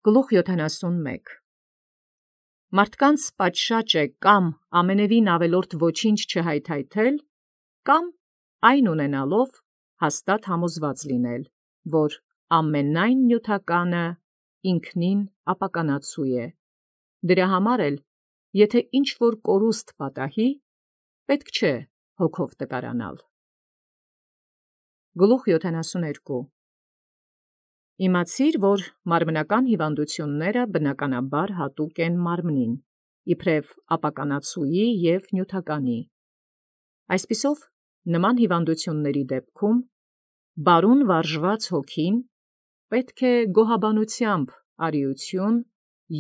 Գլուխ 71 Մարդկանց պատշաճ է կամ ամենևին ավելորդ ոչինչ չհայթայթել, կամ այն ունենալով հաստատ համոզված լինել, որ ամենայն նյութականը ինքնին ապականացու է։ Դրա համար էլ, եթե ինչ-որ կորուստ պատահի, պետք չէ հոգով տկարանալ։ Գլուխ 72 Իմացիր, որ մարմնական հիվանդությունները բնականաբար հատուկ են մարմնին, իբրև ապականացուի և նյութականի։ Այսպիսով, նման հիվանդությունների դեպքում բարուն վարժված հոգին պետք է գոհաբանությամբ արիություն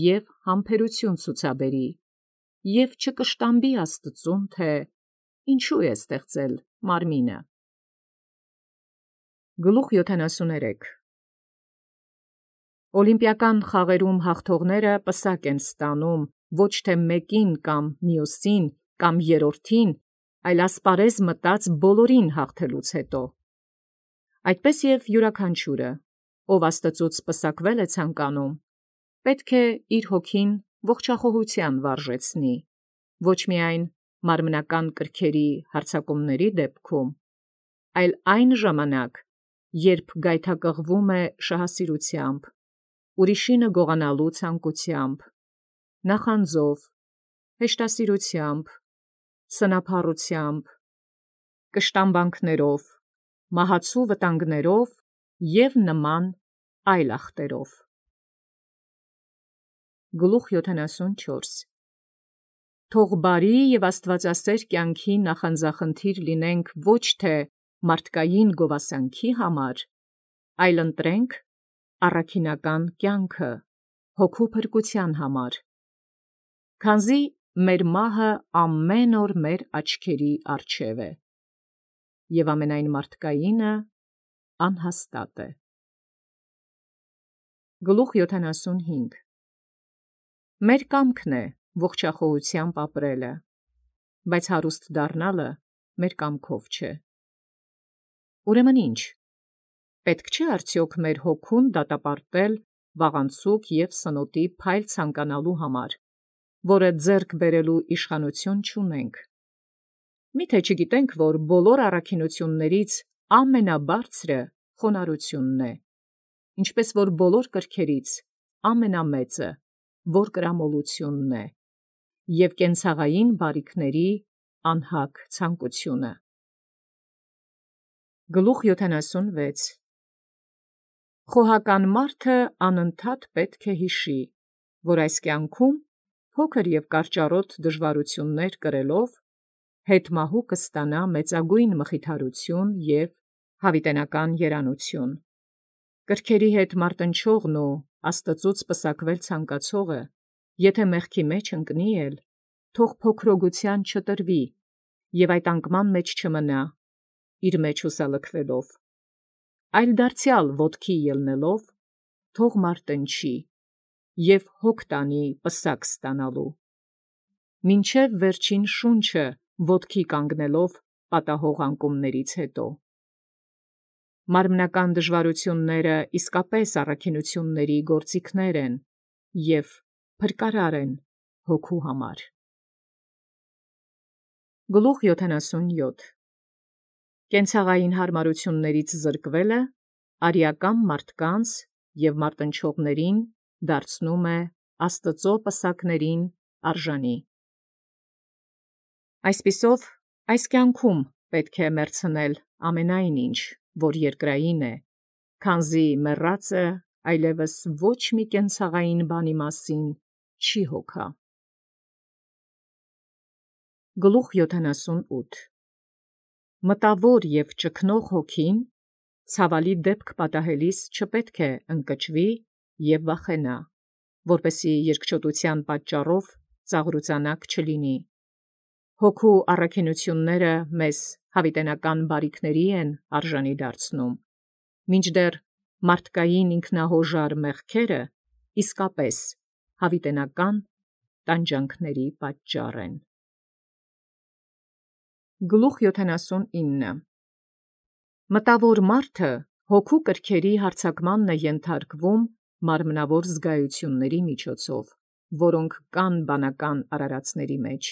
և համբերություն ցուցաբերի և չկշտամբի Աստծուն, թե ինչու է ստեղծել մարմինը։ Գլուխ 73 Օլիմպիական խաղերում հաղթողները պսակ են ստանում ոչ թե մեկին կամ մյուսին կամ երրորդին, այլ ասպարեզ մտած բոլորին հաղթելուց հետո։ Այդպես և յուրաքանչյուրը, ով Աստծուց պսակվել է ցանկանում, պետք է իր հոգին ողջախոհության վարժեցնի, ոչ միայն մարմնական կրքերի հարձակումների դեպքում, այլ այն ժամանակ, երբ գայթակղվում է շահասիրությամբ, ուրիշինը գողանալու ցանկությամբ, նախանձով, հեշտասիրությամբ, սնափառությամբ, կշտամբանքներով, մահացու վտանգներով և նման այլ ախտերով։ Գլուխ 74 Թող բարի և աստվածասեր կյանքի նախանձախնդիր լինենք ոչ թե մարդկային գովասանքի համար, այլ ընտրենք առաքինական կյանքը հոգու փրկության համար, քանզի մեր մահը ամեն օր մեր աչքերի առջև է, և ամենայն մարդկայինը անհաստատ է։ Գլուխ 75 Մեր կամքն է ողջախոհությամբ ապրելը, բայց հարուստ դառնալը մեր կամքով չէ։ Ուրեմն ի՞նչ, պետք չէ արդյոք մեր հոգուն դատապարտել վաղանցուկ և սնոտի փայլ ցանկանալու համար, որը ձեռք բերելու իշխանություն չունենք։ Միթե չգիտենք, որ բոլոր առաքինություններից ամենաբարձրը խոնարհությունն է, ինչպես որ բոլոր կրքերից ամենամեծը որկրամոլությունն է, և կենցաղային բարիքների անհագ ցանկությունը։ Գլուխ 76 Խոհական մարդը անընդհատ պետք է հիշի, որ այս կյանքում փոքր և կարճառոտ դժվարություններ կրելով հետմահու կստանա մեծագույն մխիթարություն և հավիտենական երանություն։ Կրքերի հետ մարտնչողն ու Աստծուց պսակվել ցանկացողը, եթե մեղքի մեջ ընկնի էլ, թող փոքրոգության չտրվի և այդ անկման մեջ չմնա, իր մեջ հուսալքվելով, այլ դարձյալ ոտքի ելնելով, թող մարտնչի և հոգ տանի պսակ ստանալու, մինչև վերջին շունչը ոտքի կանգնելով պատահող անկումներից հետո։ Մարմնական դժվարությունները իսկապես առաքինությունների գործիքներ են և փրկարար են հոգու համար։ Գլուխ 77 Կենցաղային հարմարություններից զրկվելը արիական մարդկանց և մարտնչողներին դարձնում է Աստծո պսակներին արժանի։ Այսպիսով, այս կյանքում պետք է մեռցնել ամենայն ինչ, որ երկրային է, քանզի մեռածը այլևս ոչ մի կենցաղային բանի մասին չի հոգա։ Գլուխ 78 Մտավոր և ճգնող հոգին ցավալի դեպք պատահելիս չպետք է ընկճվի և վախենա, որպեսզի երկչոտության պատճառով ծաղրուծանակ չլինի։ Հոգու առաքինությունները մեզ հավիտենական բարիքների են արժանի դարձնում, մինչդեռ մարդկային ինքնահոժար մեղքերը իսկապես հավիտենական տանջանքների պատճառ են։ Գլուխ 79 Մտավոր մարդը հոգու կրքերի հարձակմանն է ենթարկվում մարմնավոր զգայությունների միջոցով, որոնք կան բանական արարածների մեջ։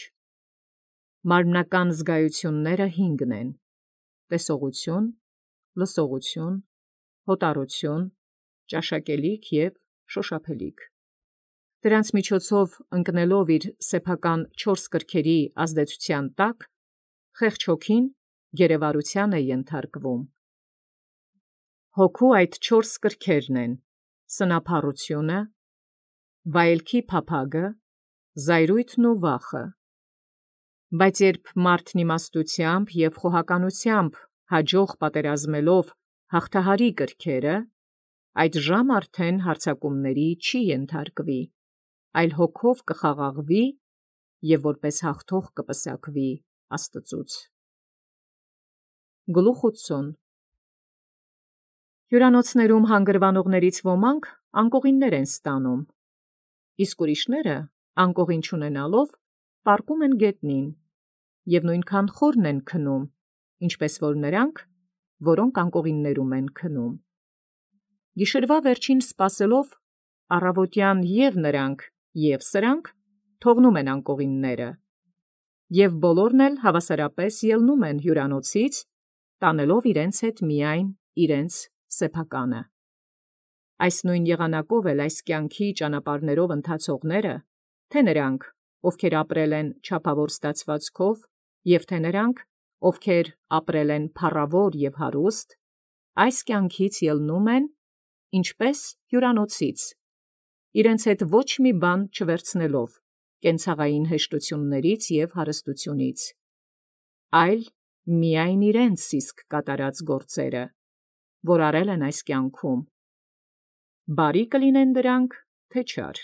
Մարմնական զգայությունները 5 են. տեսողություն, լսողություն, հոտառություն, ճաշակելիք և շոշափելիք։ Դրանց միջոցով ընկնելով իր սեփական 4 կրքերի ազդեցության տակ, խեղճ հոգին գերեվարության է ենթարկվում։ Հոգու այդ 4 կրքերն են. սնափառությունը, վայելքի փափագը, զայրույթն ու վախը։ Բայց երբ մարդն իմաստությամբ և խոհականությամբ հաջող պատերազմելով հաղթահարի կրքերը, այդ ժամ արդեն հարձակումների չի ենթարկվի, այլ հոգով կխաղաղվի և որպես հաղթող կպսակվի Աստծուց։ Գլուխ 80 Հյուրանոցներում հանգրվանողներից ոմանք անկողիններ են ստանում, իսկ ուրիշները, անկողին չունենալով, պառկում են գետնին և նույնքան խորն են քնում, ինչպես որ նրանք, որոնք անկողիններում են քնում։ Գիշերվա վերջին սպասելով, առավոտյան և նրանք, և սրանք թողնում են անկողինները, և բոլորն էլ հավասարապես ելնում են հյուրանոցից, տանելով իրենց հետ միայն իրենց սեփականը։ Այս նույն եղանակով էլ այս կյանքի ճանապարհներով ընթացողները, թե նրանք, ովքեր ապրել են չափավոր ստացվածքով, և թե նրանք, ովքեր ապրել են փառավոր և հարուստ, այս կյանքից ելնում են, ինչպես հյուրանոցից, իրենց հետ ոչ մի բան չվերցնելով կենցաղային հեշտություններից և հարստությունից, այլ միայն իրենց իսկ կատարած գործերը, որ արել են այս կյանքում, բարի կլինեն դրանք, թե չար։